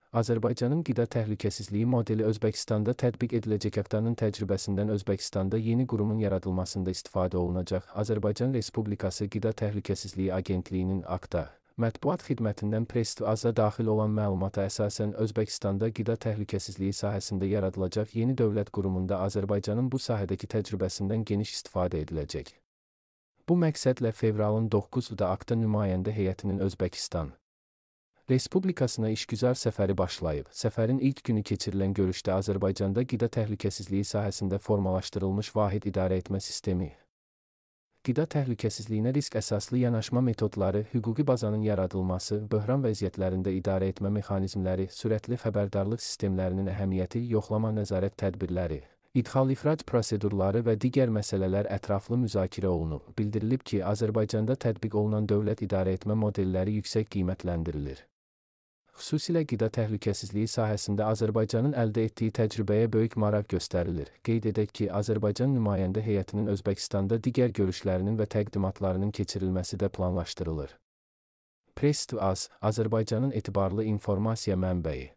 Azərbaycanın qida təhlükəsizliyi modeli Özbəkistanda tətbiq ediləcək haftanın təcrübəsindən Özbəkistanda yeni qurumun yaradılmasında istifadə olunacaq. Azərbaycan Respublikası Qida Təhlükəsizliyi Agentliyinin AQTA mətbuat xidmətindən Press-to-Az-a daxil olan məlumata əsasən Özbəkistanda qida təhlükəsizliyi sahəsində yaradılacaq yeni dövlət qurumunda Azərbaycanın bu sahədəki təcrübəsindən geniş istifadə ediləcək. Bu məqsədlə fevralın 9-da AQTA nümayəndə heyətinin Özbəkistan Respublikasına işgüzar səfəri başlayıb. Səfərin ilk günü keçirilən görüşdə Azərbaycanda qida təhlükəsizliyi sahəsində formalaşdırılmış vahid idarəetmə sistemi, qida təhlükəsizliyinə risk əsaslı yanaşma metodları, hüquqi bazanın yaradılması, böhran vəziyyətlərində idarəetmə mexanizmləri, sürətli xəbərdarlıq sistemlərinin əhəmiyyəti, yoxlama nəzarət tədbirləri, idxal-ixrac prosedurları və digər məsələlər ətraflı müzakirə olunub. Bildirilib ki, Azərbaycanda tətbiq olunan dövlət idarəetmə modelləri yüksək qiymətləndirilir. Xüsusilə qida təhlükəsizliyi sahəsində Azərbaycanın əldə etdiyi təcrübəyə böyük maraq göstərilir. Qeyd edək ki, Azərbaycan nümayəndə heyətinin Özbəkistanda digər görüşlərinin və təqdimatlarının keçirilməsi də planlaşdırılır. Press-to-Az, Azərbaycanın etibarlı informasiya mənbəyi.